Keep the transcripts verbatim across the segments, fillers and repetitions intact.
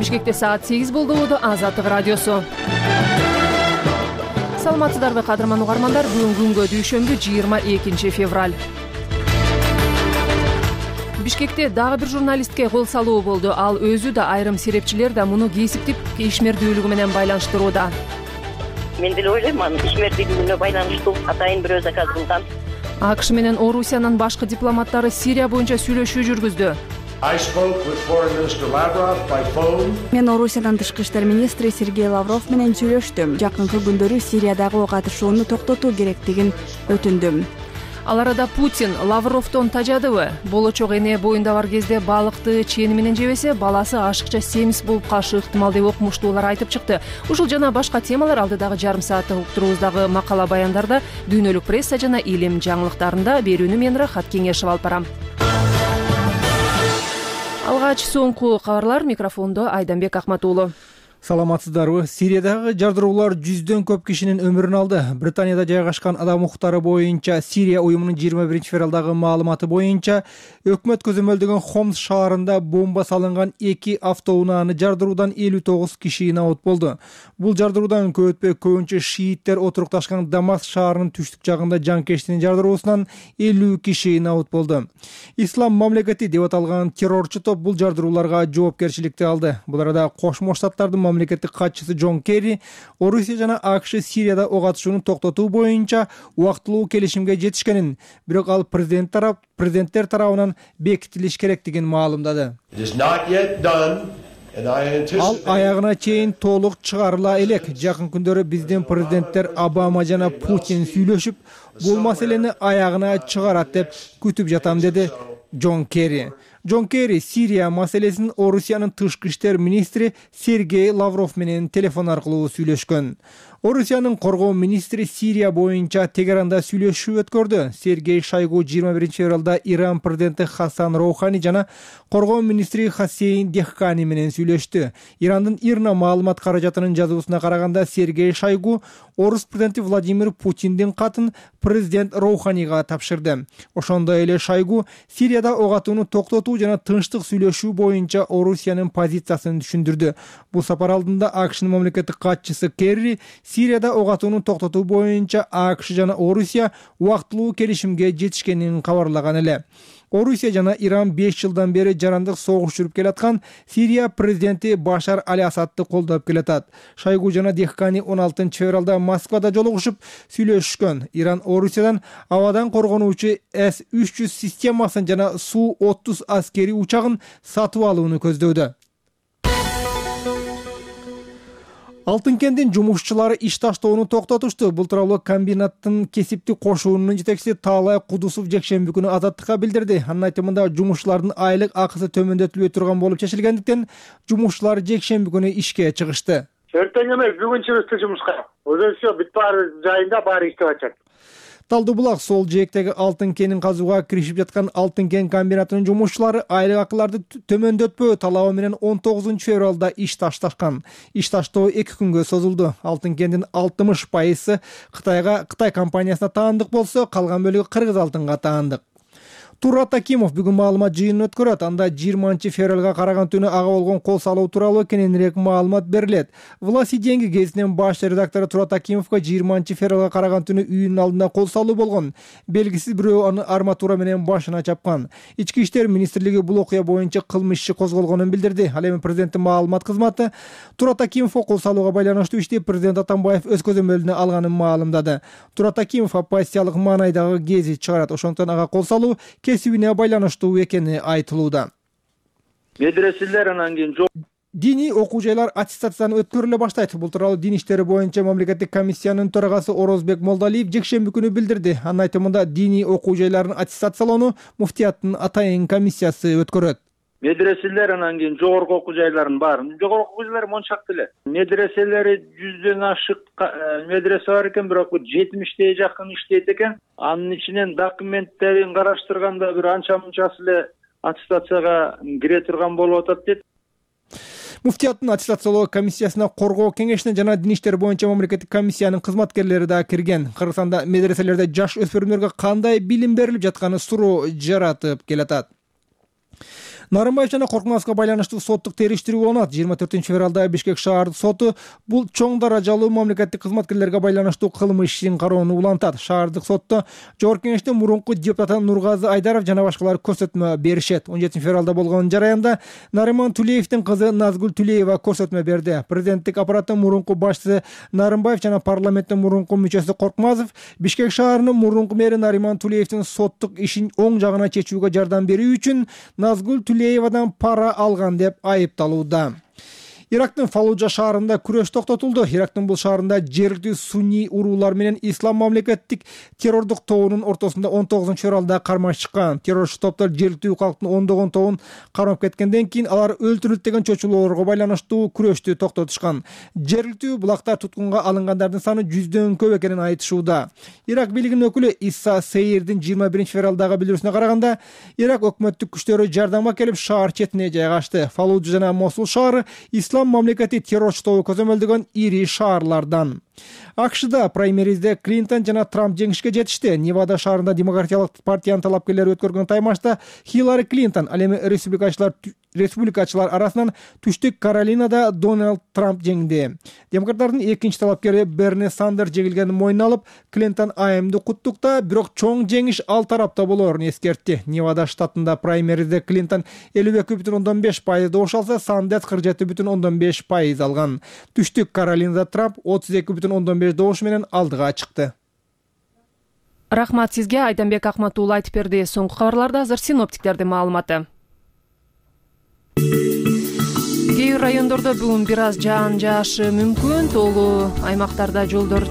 Бишкекте саат сегиз болду. Азаттык радиосу. Саламатсыздарбы кадырман угармандар? Бүгүн күнгө дүйшөмбү жыйырма экинчи февраль. Бишкекте дагы бир журналистке кол салуу болду. Ал өзү да айрым серепчилер да муну кесиптик ишмердүүлүгү менен байланыштырууда. Мен деле ойлойм, анын ишмердүүлүгүнө байланыштуу атайын бирөө заказ кылган. АКШ менен Орусиянын башкы дипломаттары Сирия боюнча сүйлөшүү жүргүздү. Мен Орусиянын тышкы иштер министри Сергей Лавров менен сүйлөштүм. Жакынкы күндөрү Сириядагы катышууну токтотуу керектигин өтүндүм. Ал арада Путин Лавровдон тажадыбы? Болочок эне боюнда бар кезде балыкты чени менен жебесе, баласы ашыкча семиз болуп калышы ыктымал деп окумуштуулар айтып чыкты. Ушул жана башка темалар алдыдагы жарым сааттык уктуруубуздагы макала баяндарда, дүйнөлүк пресса жана илим жаңылыктарында берүүнү мен Рахат Кеңешев алып барам. Алгач соңку кабарлар, микрофондо Айданбек Акматуулу. Саламатсыздарбы? Сириядагы жардыруулар жүздөн көп кишинин өмүрүн алды. Британияда жайгашкан адам укуктары боюнча Сирия уюмунун жыйырма биринчи февралдагы маалыматы боюнча өкмөт көзөмөлдөгөн Хомс шаарында бомба салынган эки автоунааны жардыруудан элүү тогуз киши набут болду. Бул жардыруудан көп өтпөй көбүнчө шииттер отурукташкан Дамаск шаарынын түштүк жагында жанкештин жардыруусунан элүү киши набут болду. Ислам мамлекети деп аталган террорчу топ бул жардырууларга жоопкерчиликти алды. Бул арада Кошмо Штаттардын мамлекеттик катчысы Джон Керри Орусия жана АКШ Сирияда ок атышууну токтотуу боюнча убактылуу келишимге жетишкенин, бирок ал президент тарап президенттер тарабынан бекитилиш керектигин маалымдады. Ал аягына чейин толук чыгарыла элек. Жакын күндөрү биздин президенттер Обама жана Путин сүйлөшүп, бул маселени аягына чыгарат деп күтүп жатам, деди Джон Керри. Джон Керри Сирия маселесин Орусиянын тышкы иштер министри Сергей Лавров менен телефон аркылуу сүйлөшкөн. Орусиянын коргоо министри Сирия боюнча Тегеранда сүйлөшүү өткөрдү. Сергей Шойгу жыйырма биринчи февралда Иран президенти Хасан Роухани жана коргоо министри Хасейн Дехкани менен сүйлөштү. Ирандын Ирна маалымат каражатынын жазуусуна караганда Сергей Шойгу Орус президенти Владимир Путиндин катын президент Роуханига тапшырды. Ошондой эле Шойгу Сирияда ок атууну токтотуу жана тынчтык сүйлөшүү боюнча Орусиянын позициясын түшүндүрдү. Бул сапар алдында АКШнын мамлекеттик катчысы Керри Сирияда ок атууну токтотуу боюнча АКШ жана Орусия убактылуу келишимге жетишкенин кабарлаган эле. Орусия жана Иран беш жылдан бери жарандык согуш жүрүп келаткан Сирия президенти Башар Аль-Асадты колдоп келатат. Шойгу жана Дехкани он алтынчы февралда Москвада жолугушуп сүйлөшкөн. Иран Орусиядан абадан коргонуучу эс үч жүз системасын жана Су отуз аскери учагын сатып алууну көздөдө. Алтын кендин жумушчулары иш таштоону токтотушту. Бул тууралуу комбинаттын кесиптик кошуунун жетекчиси Таалай Кудусов жекшемби күнү Азаттыкка билдирди. Анын айтымында жумушчулардын айлык акысы төмөндөтүлбөй турган болуп чечилгендиктен жумушчулар жекшемби күнү ишке чыгышты. Эртең эмес, бүгүн чыгышты жумушка. Өзү все бүт баары жайында баары иштеп атат. Талдуу булак сол жээктеги алтын кенин казууга киришип жаткан алтын кен комбинатынын жумушчулары айлык акыларды төмөндөтпөө талабы менен он тогузунчу февралда иш ташташкан. Иш таштоо эки күнгө созулду. Алтын кендин алтымыш пайызы Кытайга Кытай компаниясына таандык болсо, калган бөлүгү Кыргыз алтынга таандык. Турат Акимов бүгүн маалымат жыйынын өткөрөт. Анда жыйырманчы февралга караган түнү ага болгон кол салуу тууралуу кененирээк маалымат берилет. Власть и деньги гезитинин баш редактору Турат Акимовго жыйырманчы февралга караган түнү үйүнүн алдында кол салуу болгон. Белгисиз бирөө аны арматура менен башына чапкан. Ички иштер министрлиги бул окуя боюнча кылмыш иши козголгонун билдирди. Ал эми президенттин маалымат кызматы Турат Акимовго кол салууга байланыштуу ишти президент Атамбаев өз көзөмөлүнө алганын маалымдады. Турат Акимов оппозициялык маанайдагы гезит чыгарат. Ошондон ага кол салуу кесибине байланыштуу экени айтылууда. Медреселер анан кийин жок. Диний окуу жайлар аттестацияны өткөрүлө баштайт. Бул тууралуу дин иштери боюнча мамлекеттик комиссиянын төрагасы Орозбек Молдалиев жекшемби күнү билдирди. Анын айтымында диний окуу жайларын аттестациялоону муфтияттын атайын комиссиясы өткөрөт. Медреселер анан кийин жогорку окуу жайларын баарын. Жогорку окуу жайлар мончак эле. Медреселери жүздөн ашык медресе бар экен, бирок жетимиште жакын иштейт экен. Анын ичинен документтерин караштырганда бир анча мынчасы эле аттестацияга кире турган болуп атат дейт. Муфтияттын аттестациялоо комиссиясына коргоо кеңешине жана дин иштер боюнча мамлекеттик комиссиянын кызматкерлери да кирген. Кыргызстанда медреселерде жаш өспүрүмдөргө кандай билим берилип жатканы суроо жаратып келатат. Нарымбаев жана Коркмазовго байланыштуу соттук териштирүү уланат. жыйырма төртүнчү февралда Бишкек шаардык соту бул чоң даражалуу мамлекеттик кызматкерлерге байланыштуу кылмыш ишин кароону улантат. Шаардык сотто жогорку кеңештин мурунку депутаты Нургазы Айдаров жана башкалар көрсөтмө беришет. он жетинчи февралда болгон жараянда Нариман Тулеевдин кызы Назгүл Тулеева көрсөтмө берди. Президенттик аппараттын мурунку башчысы Нарымбаев жана парламенттин мурунку мүчөсү Коркмазов Бишкек шаарынын мурунку мэри Нариман Тулеевдин соттук ишин оң жагына чечүүгө жардам берүү үчүн Назгүл Тулеевадан пара алган деп айыпталууда. Ирактын Фаллужа шаарында күрөш токтотулду. Ирактын бул шаарында жергиликтүү сунний уруулар менен ислам мамлекеттик террордук тобунун ортосунда он тогузунчу февралда кармаш чыккан. Террорчу топтор жергиликтүү калктын ондогон тобун кармап кеткенден кийин алар өлтүрүлдү деген чочулоолорго байланыштуу күрөштү токтотушкан. Жергиликтүү булакта туткунга алынгандардын саны жүздөн көп экенин айтышууда. Ирак бийлигинин өкүлү Исса Сейирдин жыйырма биринчи февралдагы билдирүүсүнө караганда, Ирак өкмөттүк күчтөрү жардамга келип шаар четине жайгашты. Фаллужа жана Мосул шаары ислам мамлекети террорчу тобу көзөмөлдөгөн ири шаарлардан. АКШда праймеризде Клинтон жана Трамп жеңишке жетишти. Невада шаарында Демократиялык партиянын талапкерлери өткөргөн таймашта Хиллари Клинтон, ал эми республикачылар республикачылар арасынан Түштүк Каролинада Дональд Трамп жеңди. Демократтардын экинчи талапкери Берни Сандерс жеңилгенин мойнуна алып, Клинтон айымды куттукта, бирок чоң жеңиш ал тарапта болоорун эскертти. Невада штатында праймеризде Клинтон элүү эки бүтүн ондон беш пайыз добуш алса, Сандерс кырк жети бүтүн ондон беш пайыз алган. Түштүк Каролинада Трамп отуз эки бүтүн ондон беш добуш менен алдыга чыкты. Рахмат сизге, Айданбек Акматуулу айтып берди. Соңку кабарларда азыр синоптиктердин маалыматы. Кээ бир райондордо бүгүн бир аз жаан жаашы мүмкүн. Тоолуу аймактарда жолдор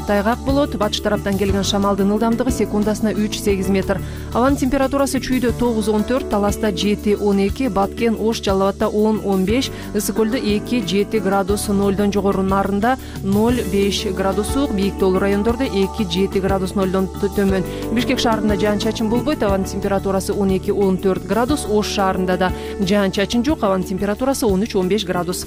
тайгак болот. Батыш тараптан келген шамалдын ылдамдыгы секундасына үч сегиз метр. Абанын температурасы Чүйдө тогуз он төрт, Таласта жети он эки, Баткен, Ош, Жалал Абадта он он беш, Ысык көлдө эки жети градус, нолдон жогору Нарында ноль беш градус суук, бийик тоолуу райондордо эки жети градус нолдон төмөн. Бишкек шаарында жаан-чачын болбойт, абанын температурасы он эки он төрт градус, Ош шаарында да жаан-чачын жок, абанын температурасы он үч он беш градус.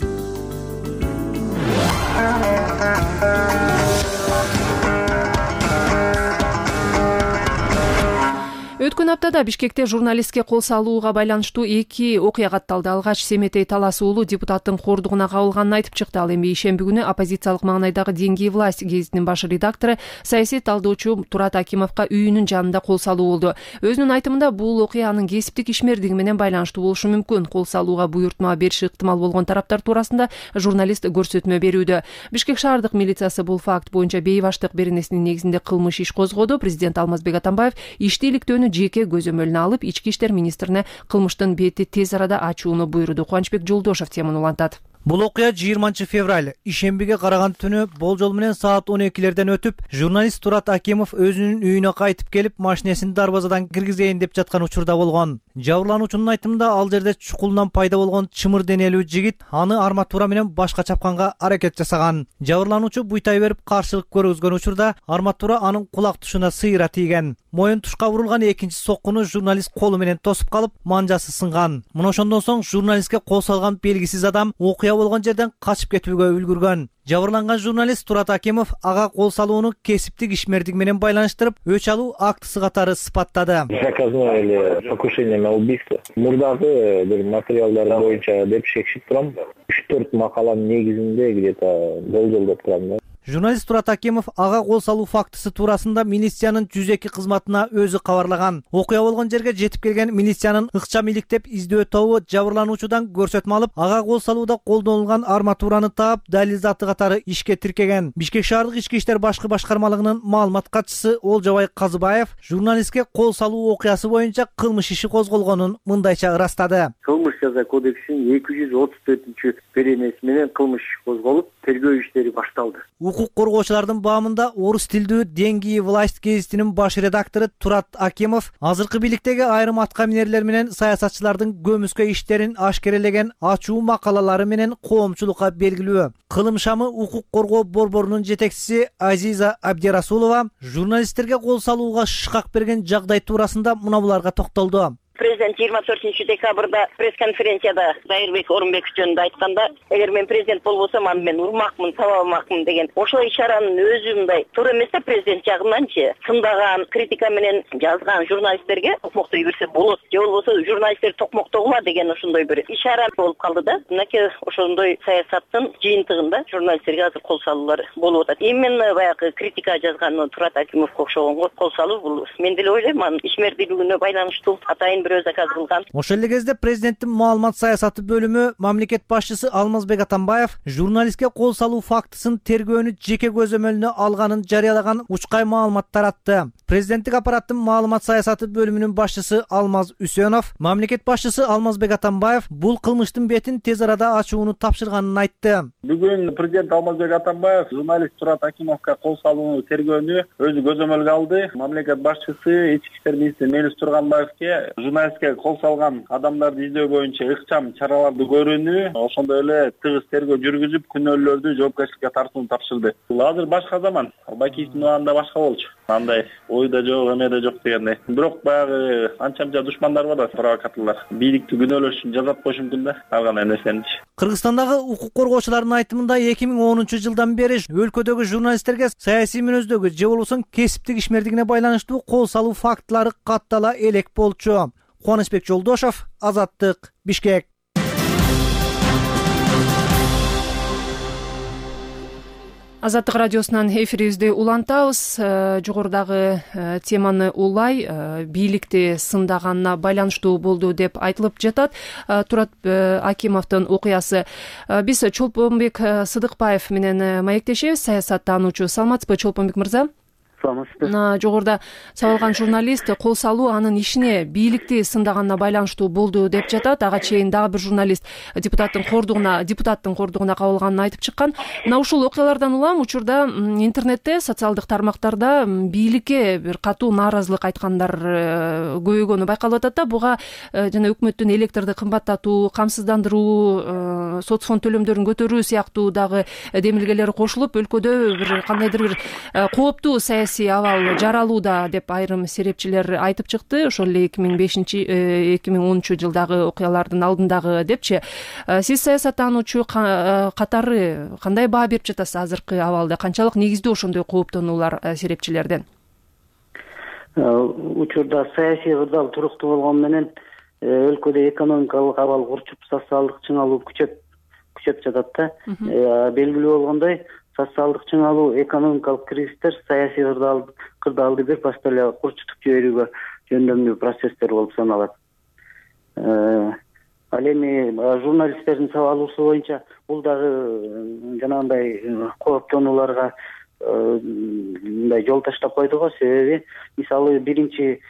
Өткөн аптада Бишкекте журналистке кол салууга байланыштуу эки окуя катталды. Алгач Семетей Талас уулу депутаттын кордугуна кабылганын айтып чыкты. Ал эми ишемби күнү оппозициялык маңнайдагы «Деньги и власть» гезитинин баш редактору, саясий талдоочу Турат Акимовго үйүнүн жанында кол салуу болду. Өзүнүн айтымында бул окуя анын кесиптик ишмердиги менен байланыштуу болушу мүмкүн. Кол салууга буйртма бериши ыктымал болгон тараптар туурасында журналист көрсөтмө берүүдө. Бишкек шаардык милициясы бул факт боюнча бейбаштык беренесинин негизинде кылмыш иш козгоду. Президент Алмазбек Атамбаев ишти иликтөөнү жеке көзөмөлүнө алып, ички иштер министрине кылмыштын бети тез арада ачууну буйруду. Кубанычбек Жолдошев теманы улантат. Бул окуя жыйырманчы февраль ишембиге караган түнү болжол менен саат он экилерден өтүп, журналист Турат Акимов өзүнүн үйүнө кайтып келип, машинесин дарбазадан киргизейин деп жаткан учурда болгон. Жабырлануучунун айтымында ал жерде чукулунан пайда болгон чымыр денелүү жигит аны арматура менен башка чапканга аракет жасаган. Жабырлануучу буйтай берип каршылык көргөзгөн учурда арматура анын кулак тушуна сыйра тийген. Моюн тушка урулган экинчи соккуну журналист колу менен тосуп калып, манжасы сынган. Мына ошондон соң журналистке кол салган белгисиз адам окуя болгон жерден качып кетүүгө үлгүргөн. Жабырланган журналист Турат Акимов ага кол салууну кесиптик ишмердик менен байланыштырып, өч алуу актысы катары сыпаттады. Заказное или покушение на убийство. Мурдагы бир материалдар боюнча деп шекшип турам. үч төрт макаланын негизинде где-то болжолдоп турам. Журналист Турат Акимов ага кол салуу фактысы туурасында милициянын жүз эки кызматына өзү кабарлаган. Окуя болгон жерге жетип келген милициянын ыкчам иликтеп издөө тобу жабырлануучудан көрсөтмө алып, ага кол салууда колдонулган арматураны таап, далил заты катары ишке тиркеген. Бишкек шаардык ички иштер башкы башкармалыгынын маалымат катчысы Олжобай Казыбаев журналистке кол салуу окуясы боюнча кылмыш иши козголгонун мындайча ырастады. Кылмыш жаза кодексинин эки жүз отуз төртүнчү беренеси менен кылмыш иш козголуп, тергөө иштери башталды. Укук коргоочулардын баамында орус тилдүү «Деньги и власть» гезитинин баш редактору Турат Акимов азыркы бийликтеги айрым аткаминерлер менен саясатчылардын көмүскө иштерин ашкерелеген ачуу макалалары менен коомчулукка белгилүү. Кылым шамы укук коргоо борборунун жетекчиси Азиза Абдирасулова журналисттерге кол салууга шыкак берген жагдай туурасында мына буларга токтолду. президент жыйырма төртүнчү декабрда пресс-конференцияда Дайырбек Орунбеков жөнүндө айтканда, эгер мен президент болбосом, аны мен урмакмын, сабамакмын деген. Ошол ишаранын өзү мындай туура эмес да, президент жагынанчы сындаган, критика менен жазган журналисттерге токмоктой берсе болот. Же болбосо журналисттер токмоктогула деген ошондой бир ишара болуп калды да. Мынакей ошондой саясаттын жыйынтыгында журналисттерге азыр кол салуулар болуп атат. Именно баягы критика жазган Турат Акимовго окшогонго кол салуу бул мен деле ойлойм, анын ишмердүүлүгүнө байланыштуу атайын бирөө заказ кылган. Ошол эле кезде президенттин маалымат саясаты бөлүмү мамлекет башчысы Алмазбек Атамбаев журналистке кол салуу фактысын тергөөнү жеке көзөмөлүнө алганын жарыялаган учкай маалымат таратты. Президенттик аппараттын маалымат саясаты бөлүмүнүн башчысы Алмаз Үсөнов, мамлекет башчысы Алмазбек Атамбаев бул кылмыштын бетин тез арада ачууну тапшырганын айтты. Бүгүн президент Алмазбек Атамбаев журналист Турат Акимовго кол салууну тергөөнү өзү көзөмөлгө алды. Мамлекет башчысы ички иштер министри Мелис Турганбаевке журналистке кол салган адамдарды издөө боюнча ыкчам чараларды көрүүнү, ошондой эле тыгыз тергөө жүргүзүп, күнөөлүүлөрдү жоопкерчиликке тартууну тапшырды. Бул азыр башка заман. Бакиевдин убагында башка болчу. Андай ойда жок, эмеде жок дегендей. Бирок баягы анча-мынча душмандар бар да, провокаторлор. Бийликти күнөөлөш үчүн жазат коюшу мүмкүн да, ар кандай нерсеничи. Кыргызстандагы укук коргоочулардын айтымында эки миң онунчу жылдан бери өлкөдөгү журналисттерге саясий мүнөздөгү же болбосо кесиптик ишмердигине байланыштуу кол салуу фактылары каттала элек болчу. Кубанычбек Жолдошов, Азаттык, Бишкек. Азаттык радиосунан эфирибизди улантабыз. Жогорудагы теманы улай бийликти сындаганына байланыштуу болду деп айтылып жатат. Турат Акимовдун окуясы. Биз Чолпонбек Сыдыкбаев менен маектешебиз, саясаттануучу. Саламатсызбы, Чолпонбек мырза? Жогоруда сабалган журналист кол салуу анын ишине бийликти сындаганына байланыштуу болду деп жатат. Ага чейин дагы бир журналист депутаттын кордугуна депутаттын кордугуна кабылганын айтып чыккан. Мына ушул окуялардан улам учурда интернетте, социалдык тармактарда бийликке бир катуу нааразылык айткандар көбөйгөнү байкалып атат да. Буга жана өкмөттүн электрди кымбаттатуу, камсыздандыруу, соц фонд төлөмдөрүн көтөрүү сыяктуу дагы демилгелер кошулуп, өлкөдө бир кандайдыр бир кооптуу саясий абал жаралууда деп айрым серепчилер айтып чыкты. Ошол эле эки миң бешинчи эки миң онунчу жылдагы окуялардын алдындагы депчи. Сиз саясаттануучу катары кандай баа берип жатасыз азыркы абалда? Канчалык негиздүү ошондой кооптонуулар серепчилерден? Учурда саясий кырдаал туруктуу болгону менен өлкөдө экономикалык абал курчуп, социалдык чыңалуу күчөп күчөп жатат да. Белгилүү болгондой, социалдык чыңалуу, экономикалык кризистер саясий кырдаалды бир башта эле курчутуп жиберүүгө жөндөмдүү процесстер болуп саналат. Ал эми журналисттердин сабалуусу боюнча бул дагы жанагындай кооптонууларга мындай жол таштап койду го. Себеби мисалы биринчи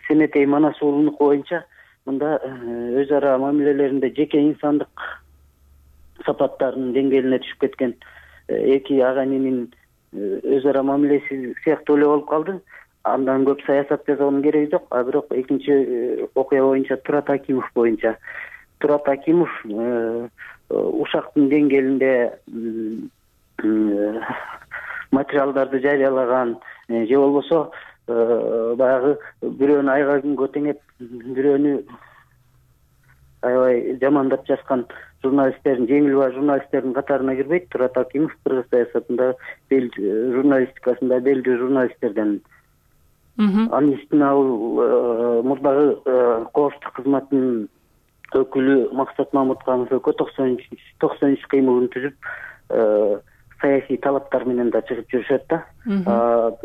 Семетей Манас уулунуку боюнча мында өз ара мамилелеринде жеке инсандык сапаттарынын деңгээлине түшүп кеткен эки ага ининин өз ара мамилеси сыяктуу эле болуп калды. Андан көп саясат жасоонун кереги жок. А бирок экинчи окуя боюнча Турат Акимов боюнча Турат Акимов ушактын деңгээлинде материалдарды жарыялаган же болбосо баягы бирөөнү айга күнгө теңеп, бирөөнү аябай жамандап жазган журналисттердин, жеңил баа журналисттердин катарына кирбейт. Турат Акимов кыргыз саясатында, журналистикасында белгилүү журналисттерден. Анын үстүнө ал мурдагы коопсуздук кызматынын өкүлү Максат Мамутханов экөө токсон үч кыймылын түзүп, саясий талаптар менен да чыгып жүрүшөт да.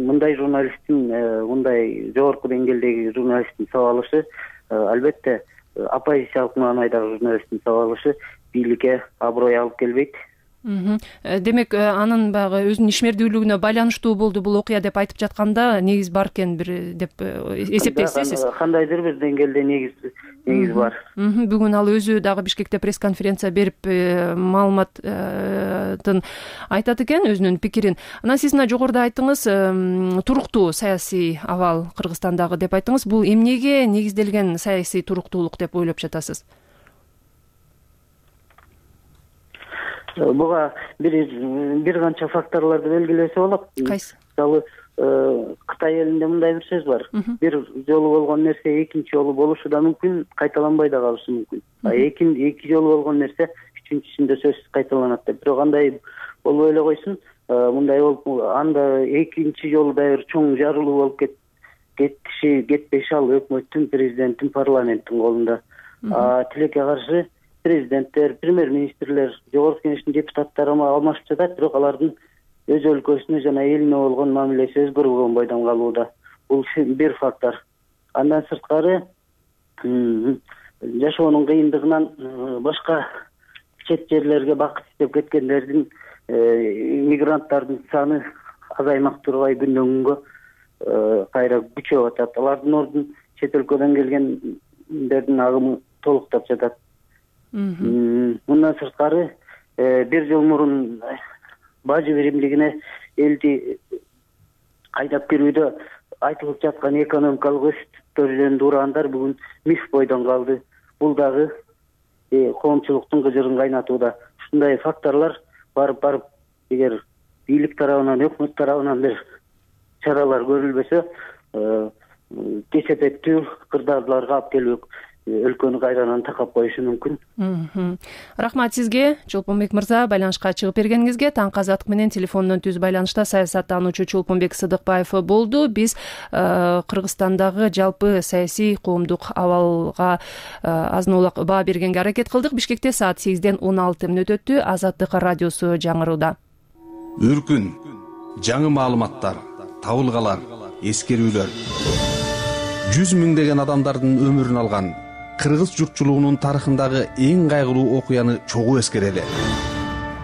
Мындай журналисттин, мындай жогорку деңгээлдеги журналисттин сабалышы албетте оппозициялык маанайдагы журналисттин сабалышы бийликке аброй алып келбейт. Демек, анын баягы өзүнүн ишмердүүлүгүнө байланыштуу болду бул окуя деп айтып жатканда негиз бар экен бир деп эсептейсиз сиз? Кандайдыр бир деңгээлде негиз негиз бар. Бүгүн ал өзү дагы Бишкекте пресс-конференция берип маалыматтын айтат экен, өзүнүн пикирин. Анан сиз мына жогоруда айттыңыз, туруктуу саясий абал Кыргызстандагы деп айттыңыз. Бул эмнеге негизделген саясий туруктуулук деп ойлоп жатасыз? Буга бир бир канча факторлорду белгилесе болот. Кайсы? Мисалы, Кытай элинде мындай бир сөз бар. Бир жолу болгон нерсе экинчи жолу болушу да мүмкүн, кайталанбай да калышы мүмкүн. А эки эки жолу болгон нерсе үчүнчүсүндө сөзсүз кайталанат деп. Бирок андай болбой эле койсун. Мындай болуп, анда экинчи жолу да бир чоң жарылуу болуп кет кетиши кетпеши ал өкмөттүн, президенттин, парламенттин колунда. Тилекке каршы президенттер, премьер-министрлер, жогорку кеңештин депутаттары алмашып жатат, бирок алардын өз өлкөсүнө жана элине болгон мамилеси өзгөрбөгөн бойдон калууда. Бул бир фактор. Андан сырткары жашоонун кыйындыгынан башка чет жерлерге бакыт издеп кеткендердин, мигранттардын саны азаймак турбай күндөн күнгө кайра күчөп атат. Алардын ордун чет өлкөдөн келгендердин агымы толуктап жатат. Мындан сырткары бир жыл мурун бажы биримдигине элди кайдап кирүүдө айтылып жаткан экономикалык өсүштөр жөнүндө ураандар бүгүн миф бойдон калды. Бул дагы коомчулуктун кыжырын кайнатууда. Ушундай факторлор барып барып эгер бийлик тарабынан, өкмөт тарабынан бир чаралар көрүлбөсө, кесепеттүү кырдаалдарга алып келип өлкөнү кайрадан такап коюшу мүмкүн. Рахмат сизге, Чолпонбек мырза, байланышка чыгып бергениңизге. Таңкы азаттык менен телефондон түз байланышта саясаттануучу Чолпонбек Сыдыкбаев болду. Биз Кыргызстандагы жалпы саясий коомдук абалга азын-улак баа бергенге аракет кылдык. Бишкекте саат сегизден он алты мүнөт өттү. Азаттык радиосу жаңырууда. Үркүн, жаңы маалыматтар, табылгалар, эскерүүлөр. Жүз миңдеген адамдардын өмүрүн алган кыргыз журтчулугунун тарыхындагы эң кайгылуу окуяны чогуу эскерели.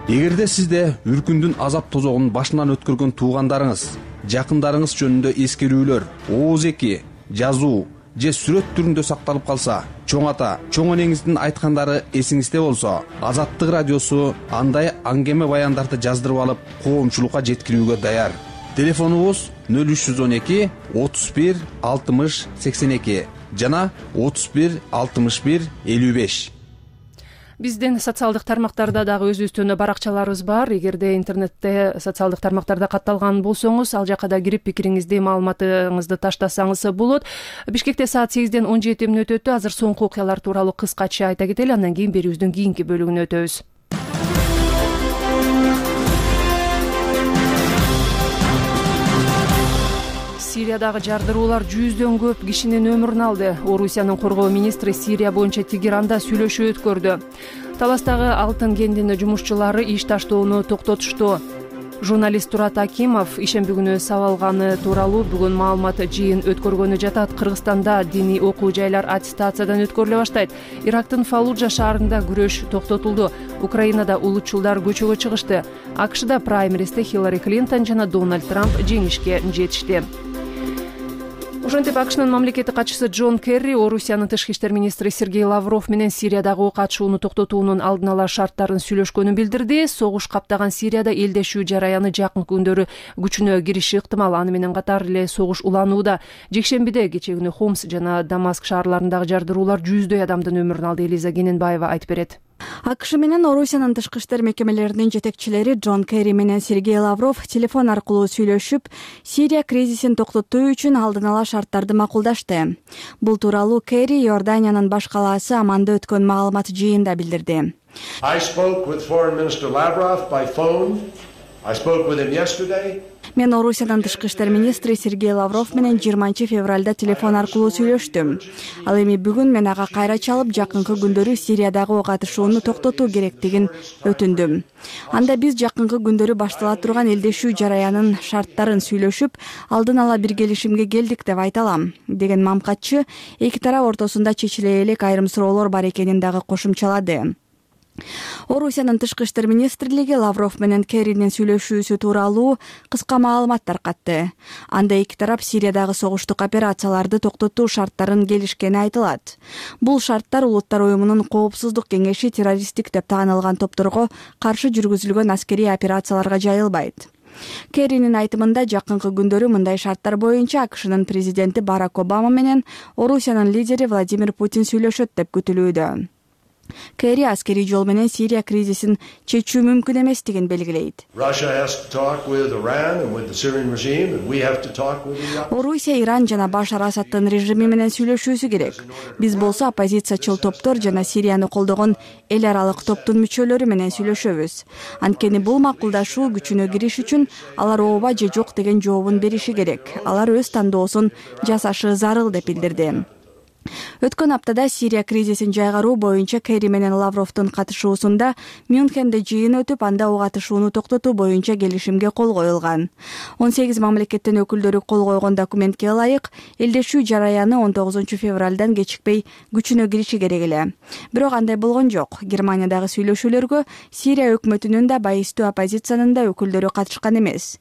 Эгерде сизде үркүндүн азап тозогун башынан өткөргөн туугандарыңыз, жакындарыңыз жөнүндө эскерүүлөр, ооз-эки, жазуу же сүрөт түрүндө сакталып калса, чоң ата, чоң энеңиздин айткандары эсиңизде болсо, Азаттык радиосу андай аңгеме баяндарды жаздырып алып, коомчулукка жеткирүүгө даяр. Телефонубуз нөл үч жүз он эки отуз бир алтымыш сексен эки жана отуз бир алтымыш бир элүү беш. Биздин социалдык тармактарда дагы өзүбүздүн баракчаларыбыз бар. Эгерде интернетте социалдык тармактарда катталган болсоңуз, ал жакка да кирип пикириңизди, маалыматыңызды таштасаңыз болот. Бишкекте саат сегизден он жети мүнөт өттү. Азыр соңку окуялар тууралуу кыскача айта кетели, андан кийин берүүбүздүн кийинки бөлүгүнө өтөбүз. Сириядагы жардыруулар жүздөн көп кишинин өмүрүн алды. Орусиянын коргоо министри Сирия боюнча Тегеранда сүйлөшүү өткөрдү. Таластагы алтын кендинин жумушчулары иш таштоону токтотушту. Журналист Турат Акимов ишемби күнү сабалганы тууралуу бүгүн маалымат жыйын өткөргөнү жатат. Кыргызстанда диний окуу жайлар аттестациядан өткөрүлө баштайт. Ирактын Фаллуджа шаарында күрөш токтотулду. Украинада улутчулдар көчөгө чыгышты. АКШда праймеристе Хиллари Клинтон жана Дональд Трамп жеңишке жетишти. Ошентип АКШнын мамлекеттик катчысы Джон Керри Орусиянын тышкы иштер министри Сергей Лавров менен Сириядагы ок атышууну токтотуунун алдын ала шарттарын сүйлөшкөнүн билдирди. Согуш каптаган Сирияда элдешүү жараяны жакынкы күндөрү күчүнө кириши ыктымал. Аны менен катар эле согуш уланууда. Жекшембиде кечээ күнү Хомс жана Дамаск шаарларындагы жардыруулар жүздөй адамдын өмүрүн алды. Элиза Кененбаева айтып берет. АКШ менен Орусиянын тышкы иштер мекемелеринин жетекчилери Джон Керри менен Сергей Лавров телефон аркылуу сүйлөшүп, Сирия кризисин токтотуу үчүн алдын ала шарттарды макулдашты. Бул тууралуу Керри Иорданиянын баш калаасы Аманда өткөн маалымат жыйында билдирди. I spoke with Foreign Minister Lavrov by phone. I spoke with him yesterday. Мен Орусиянын тышкы иштер министри Сергей Лавров менен жыйырманчы февралда телефон аркылуу сүйлөштүм. Ал эми бүгүн мен ага кайра чалып, жакынкы күндөрү Сириядагы ок атышууну токтотуу керектигин өтүндүм. Анда биз жакынкы күндөрү баштала турган элдешүү жараянын шарттарын сүйлөшүп, алдын ала бир келишимге келдик деп айта алам, деген мамкатчы эки тарап ортосунда чечиле элек айрым суроолор бар экенин дагы кошумчалады. Орусиянын тышкы иштер министрлиги Лавров менен Керринин сүйлөшүүсү тууралуу кыска маалымат таркатты. Анда эки тарап Сириядагы согуштук операцияларды токтотуу шарттарын келишкени айтылат. Бул шарттар Улуттар уюмунун Коопсуздук кеңеши террористтик деп таанылган топторго каршы жүргүзүлгөн аскерий операцияларга жайылбайт. Керринин айтымында жакынкы күндөрү мындай шарттар боюнча АКШнын президенти Барак Обама менен Орусиянын лидери Владимир Путин сүйлөшөт деп күтүлүүдө. Керри аскерий жол менен Сирия кризисин чечүү мүмкүн эместигин белгилейт. Орусия Иран жана Башар Асаддын режими менен сүйлөшүүсү керек. Биз болсо оппозициячыл топтор жана Сирияны колдогон эл аралык топтун мүчөлөрү менен сүйлөшөбүз. Анткени бул макулдашуу күчүнө кириш үчүн алар ооба же жок деген жообун бериши керек. Алар өз тандоосун жасашы зарыл деп билдирди. Өткөн аптада Сирия кризисин жайгаруу боюнча Керри менен Лавровдун катышуусунда Мюнхенде жыйын өтүп, анда ок атышууну токтотуу боюнча келишимге кол коюлган. он сегиз мамлекеттин өкүлдөрү кол койгон документке ылайык, элдешүү жараяны он тогузунчу февралдан кечикпей күчүнө кириши керек эле. Бирок андай болгон жок. Германиядагы сүйлөшүүлөргө Сирия өкмөтүнүн да, байыстуу оппозициянын да өкүлдөрү катышкан эмес.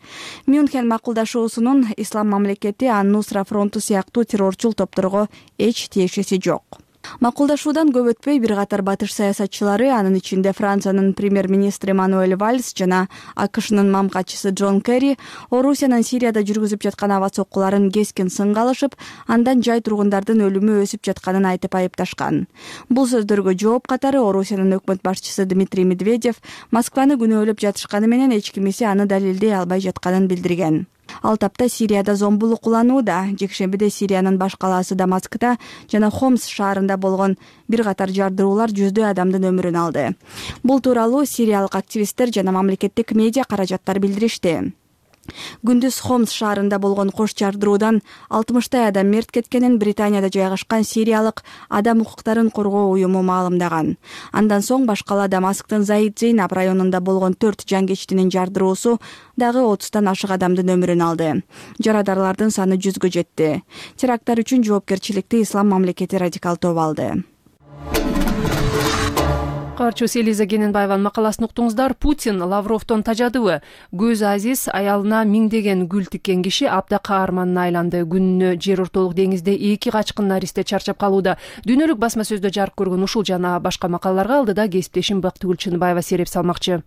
Мюнхен макулдашуусунун Ислам мамлекети Ан-Нусра фронту сыяктуу террорчул топторго эч тиешеси жок. Макулдашуудан көп өтпөй бир катар батыш саясатчылары, анын ичинде Франциянын премьер-министри Мануэль Вальс жана АКШнын мамкачысы Джон Керри, Орусиянын Сирияда жүргүзүп жаткан аба соккуларын кескин сынга алышып, андан жай тургундардын өлүмү өсүп жатканын айтып айыпташкан. Бул сөздөргө жооп катары Орусиянын өкмөт башчысы Дмитрий Медведев Москваны күнөөлөп жатышканы менен эч кимиси аны далилдей албай жатканын билдирген. Ал тапта Сирияда зомбулук куланууда. Жекшембиде Сириянын баш калаасы Дамаскта жана Хомс шаарында болгон бир катар жардыруулар жүздөй адамдын өмүрүн алды. Бул тууралуу сириялык активисттер жана мамлекеттик медиа каражаттар билдиришти. Күндүз Хомс шаарында болгон кош жардыруудан алтымыштай адам мерт кеткенин Британияда жайгашкан сириялык адам укуктарын коргоо уюму маалымдаган. Андан соң баш кала Дамасктын Заид Зейнаб районунда болгон төрт жангечтинин жардыруусу дагы отуздан ашык адамдын өмүрүн алды. Жарадарлардын саны жүзгө жетти. Теракттар үчүн жоопкерчиликти Ислам мамлекети радикал тобу алды. Каарчыбыз Элиза Кененбаеванын макаласын уктуңуздар. Путин Лавровдон тажадыбы? Көз азиз аялына миңдеген гүл тиккен киши абда каарманына айланды. Күнүнө жер ортолук деңизде эки качкын наристе чарчап калууда. Дүйнөлүк басма сөздө жарык көргөн ушул жана башка макалаларга алдыда кесиптешим Бактыгүл Чыныбаева сереп салмакчы.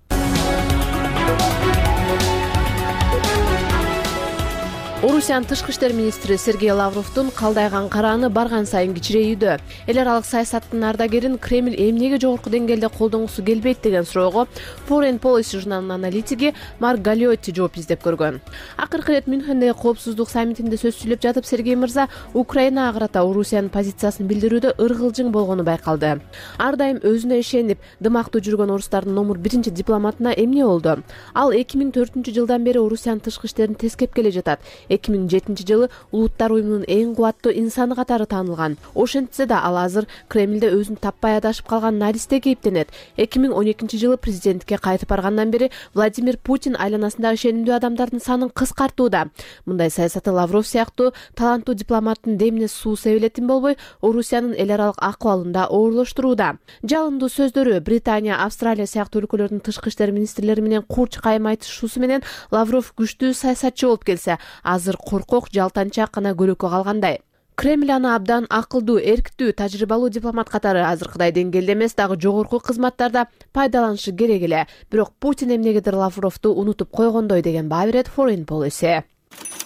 Орусиянын тышкы иштер министри Сергей Лавровдун калдайган карааны барган сайын кичирейүүдө. Эл аралык саясаттын ардагерин Кремль эмнеге жогорку деңгээлде колдонгусу келбейт деген суроого Foreign Policy журналынын аналитиги Марк Галиотти жооп издеп көргөн. Акыркы ирет Мюнхендеги коопсуздук саммитинде сөз сүйлөп жатып Сергей мырза Украинага карата Орусиянын позициясын билдирүүдө ыргылжың болгону байкалды. Ар дайым өзүнө ишенип дымактуу жүргөн орустардын номер биринчи дипломатына эмне болду? Ал эки миң төртүнчү жылдан бери Орусиянын тышкы иштерин тескеп келе жатат. эки миң жетинчи жылы Улуттар уюмунун эң кубаттуу инсаны катары таанылган. Ошентсе да ал азыр Кремлде өзүн таппай адашып калган наристе кейиптенет. эки миң он экинчи жылы президенттикке кайтып баргандан бери Владимир Путин айланасындагы ишенимдүү адамдардын санын кыскартууда. Мындай саясаты Лавров сыяктуу таланттуу дипломаттын демине суу себелетин болбой, Орусиянын эл аралык акыбалын да оорлоштурууда. Жалындуу сөздөрү, Британия, Австралия сыяктуу өлкөлөрдүн тышкы иштер министрлери менен курч кайым айтышуусу менен Лавров күчтүү саясатчы болуп келсе, азыр коркок, жалтанчак гана көрөккө калгандай. Кремль аны абдан акылдуу, эрктүү, тажрыйбалуу дипломат катары азыркыдай деңгээлде эмес, дагы жогорку кызматтарда пайдаланышы керек эле. Бирок Путин эмнегедир Лавровду унутуп койгондой деген баа берет Foreign Policy.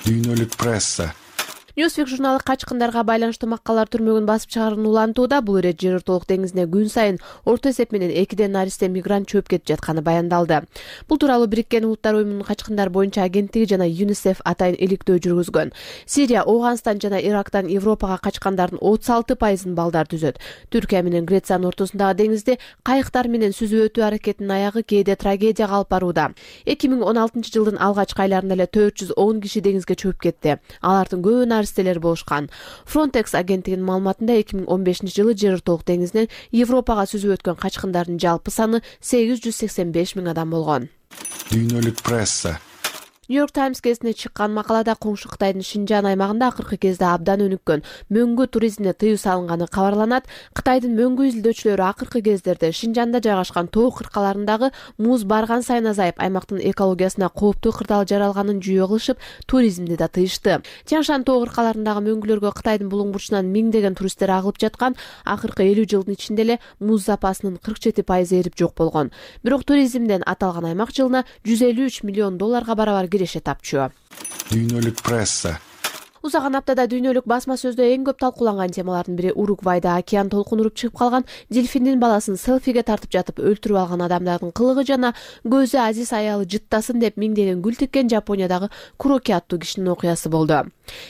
Дүйнөлүк пресса. Newsweek журналы качкындарга байланыштуу макалалар түрмөгүн басып чыгаарын улантууда. Бул ирет жер ортолук деңизине күн сайын орто эсеп менен экиден наристе мигрант чөп кетип жатканы баяндалды. Бул тууралуу Бириккен Улуттар уюмунун качкындар боюнча агенттиги жана ЮНИСЕФ атайын иликтөө жүргүзгөн. Сирия, Ооганстан жана Ирактан Европага качкандардын отуз алты пайызын балдар түзөт. Түркия менен Грециянын ортосундагы деңизде кайыктар менен сүзүп өтүү аракетинин аягы кээде трагедияга алып барууда. эки миң он алтынчы жылдын алгачкы айларында эле төрт жүз он киши деңизге чөп кетти. Алардын көбү наристелер болушкан. Frontex агенттигинин маалыматында эки миң он бешинчи жылы жер ортолук деңизинен Европага сүзүп өткөн качкындардын жалпы саны сегиз жүз сексен беш миң адам болгон. Дүйнөлүк пресса. New York Times газетине чыккан макалада коңшу Кытайдын Шинжан аймагында акыркы кезде абдан өнүккөн мөңгү туризмине тыюу салынганы кабарланат. Кытайдын мөңгү изилдөөчүлөрү акыркы кездерде Шинжанда жайгашкан тоо кыркаларындагы муз барган сайын азайып, аймактын экологиясына кооптуу кырдаал жаралганын жүйө кылышып, туризмди да тыйышты. Тяншан тоо кыркаларындагы мөңгүлөргө Кытайдын булуң бурчунан миңдеген туристтер агылып жаткан. Акыркы элүү жылдын ичинде эле муз запасынын кырк жети пайызы эрип жок болгон. Бирок туризмден аталган аймак жылына жүз элүү үч миллион долларга барабар киреше тапчу. Дүйнөлүк пресса. Узаган аптада дүйнөлүк басма сөздө эң көп талкууланган темалардын бири Уругвайда океан толкун уруп чыгып калган дельфиндин баласын селфиге тартып жатып өлтүрүп алган адамдардын кылыгы жана көзү азиз аялы жыттасын деп миңдеген гүл тиккен Жапониядагы Куроки аттуу кишинин окуясы болду.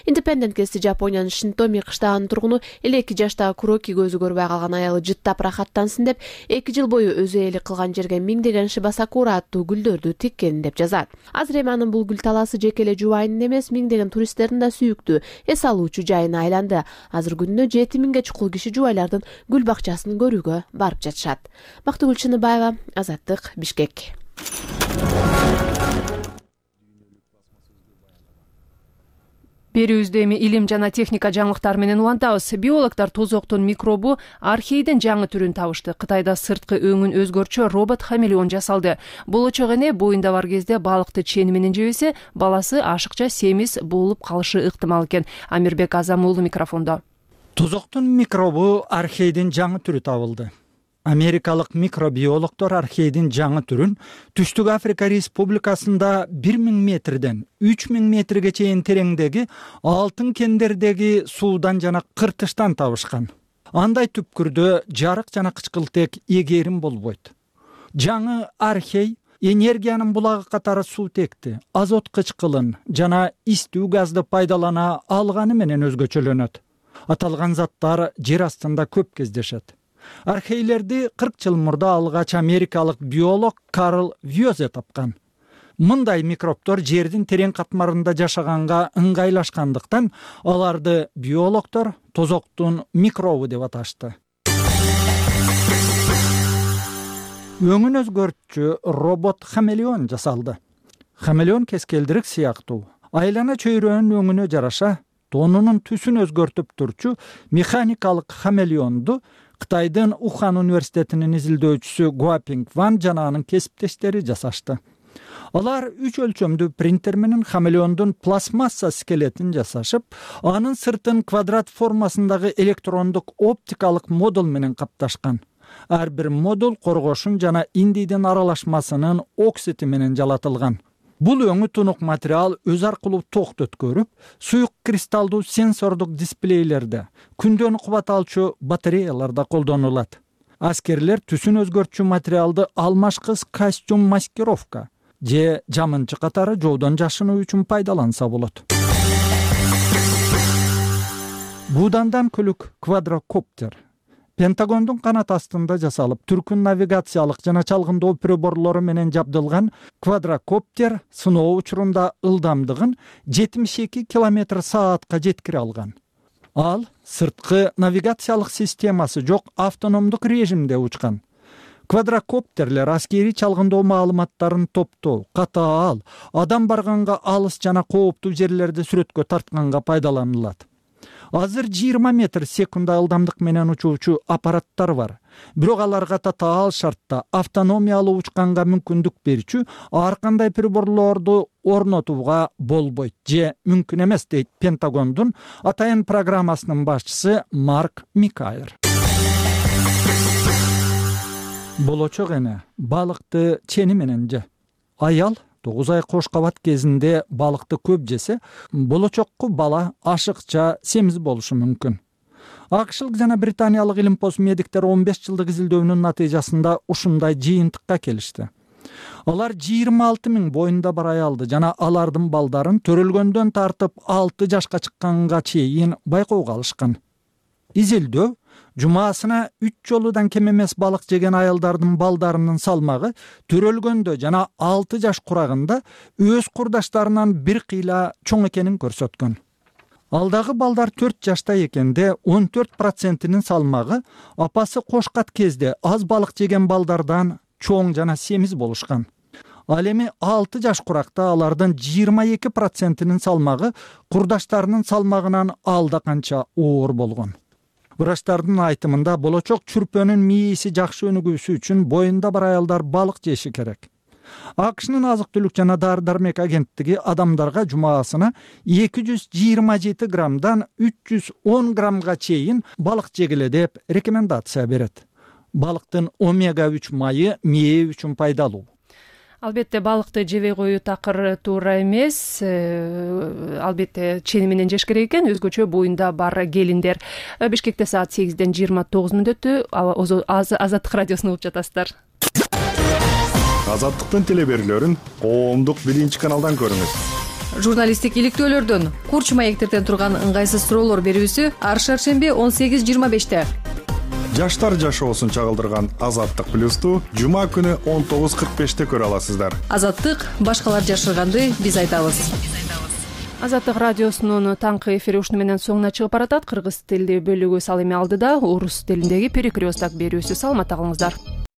Independent гезити Жапониянын Шинтоми кыштагынын тургуну элүү эки жаштагы Куроки көзү көрбөй калган аялы жыттап рахаттансын деп эки жыл бою өзү ээлик кылган жерге миңдеген Шибасакура аттуу гүлдөрдү тиккенин деп жазат. Азыр эми анын бул гүл талаасы жеке эле жубайынын эмес, миңдеген туристтердин да сүйүктүү эс алуучу жайына айланды. Азыр күнүнө жети миңге чукул киши жубайлардын гүл бакчасын көрүүгө барып жатышат. Бактыгүл Чыныбаева, Азаттык, Бишкек. Берүүбүздө эми илим жана техника жаңылыктары менен улантабыз. Биологдор тозоктун микробу архейдин жаңы түрүн табышты. Кытайда сырткы өңүн өзгөрчү робот-хамелеон жасалды. Болочок эне боюнда бар кезде балыкты чени менен жебесе, баласы ашыкча семиз болуп калышы ыктымал экен. Амирбек Азам уулу микрофондо. Тозоктун микробу архейдин жаңы түрү табылды. Америкалык микробиологдор архейдин жаңы түрүн Түштүк Африка Республикасында бир миң метрден үч миң метрге чейин тереңдеги алтын кендердеги суудан жана кыртыштан табышкан. Андай түпкүрдө жарык жана кычкылтек эгерим болбойт. Жаңы архей энергиянын булагы катары суутекти, азот кычкылын жана истүү газды пайдалана алганы менен өзгөчөлөнөт. Аталган заттар жер астында көп кездешет. Архейлерди кырк жыл мурда алгач америкалык биолог Карл Вьозе тапкан. Мындай микробтор жердин терең катмарында жашаганга ыңгайлашкандыктан аларды биологдор тозоктун микробу деп аташты. Өңүн өзгөртчү робот-хамелеон жасалды. Хамелеон кескелдирик сыяктуу. Айлана чөйрөнүн өңүнө жараша тонунун түсүн өзгөртүп турчу механикалык хамелеонду Кытайдын Ухан университетинин изилдөөчүсү Гуапинг Ван жана анын кесиптештери жасашты. Алар үч өлчөмдүү принтер менен хамелеондун пластмасса скелетин жасашып, анын сыртын квадрат формасындагы электрондук оптикалык модуль менен капташкан. Ар бир модуль коргошун жана индийдин аралашмасынын оксити менен жалатылган. Бул өңү тунук материал өз аркылуу токту өткөрүп, суюк кристалдуу сенсордук дисплейлерде, күндөн кубат алчу батареяларда колдонулат. Аскерлер түсүн өзгөртчү материалды алмашкыс костюм маскировка же жамынчы катары жоодон жашынуу үчүн пайдаланса болот. Будандан күлүк квадрокоптер Пентагондун канат астында жасалып, түркүн навигациялык жана чалгындоо приборлору менен жабдылган квадрокоптер сыноо учурунда ылдамдыгын жетимиш эки километр саатка жеткире алган. Ал сырткы навигациялык системасы жок автономдук режимде учкан. Квадрокоптерлер аскери чалгындоо маалыматтарын топтоо, катаал, адам барганга алыс жана кооптуу жерлерди сүрөткө тартканга пайдаланылат. Азыр жыйырма метр секунда ылдамдык менен учуучу аппараттар бар. Бирок аларга татаал шартта автономиялуу учканга мүмкүндүк берчү ар кандай приборлорду орнотууга болбойт же мүмкүн эмес дейт Пентагондун атайын программасынын башчысы Марк Микайер. Болочок эне балыкты чени менен же. Аял тогуз ай кош кабат кезинде балыкты көп жесе, болочокку бала ашыкча семиз болушу мүмкүн. Акшылык жана британиялык илимпоз медиктер он беш жылдык изилдөөнүн натыйжасында ушундай жыйынтыкка келишти. Алар жыйырма алты миң боюнда бар аялды жана алардын балдарын төрөлгөндөн тартып алты жашка чыкканга чейин байкоого алышкан. Изилдөө жумасына үч жолудан кем эмес балык жеген аялдардын балдарынын салмагы төрөлгөндө жана алты жаш курагында өз курдаштарынан бир кыйла чоң экенин көрсөткөн. Алдагы балдар төрт жашта экенде он төрт процентинин салмагы апасы кошкат кезде аз балык жеген балдардан чоң жана семиз болушкан. Ал эми алты жаш куракта алардын жыйырма эки процентинин салмагы курдаштарынын салмагынан алда канча оор болгон. Врачтардын айтымында болочок чүрпөнүн мээси жакшы өнүгүүсү үчүн боюнда бар аялдар балык жеши керек. АКШнын азык-түлүк жана дары-дармек агенттиги адамдарга жумасына эки жүз жыйырма жети граммдан үч жүз он граммга чейин балык жегиле деп рекомендация берет. Балыктын омега үч майы мээ үчүн пайдалуу. албетте балыкты жебей коюу такыр туура эмес, албетте чени менен жеш керек экен. Өзгөчө боюнда бар келиндер. Бишкекте саат сегизден жыйырма тогуз мүнөттө Азаттык радиосун угуп жатасыздар. Азаттыктын теле берүүлөрүн коомдук биринчи каналдан көрүңүз. Журналисттик иликтөөлөрдөн, курч маектерден турган ыңгайсыз суроолор берүүсү ар шаршемби он сегиз жыйырма беште. Жаштар жашоосун чагылдырган Азаттык плюсту жума күнү он тогуз кырк беште көрө аласыздар. Азаттык башкалар жашырганды биз айтабыз. Азаттык радиосунун таңкы эфири ушуну менен соңуна чыгып баратат. Кыргыз тилдүү бөлүгү ал эми алдыда орус тилиндеги перекресток берүүсү. Саламатта калыңыздар.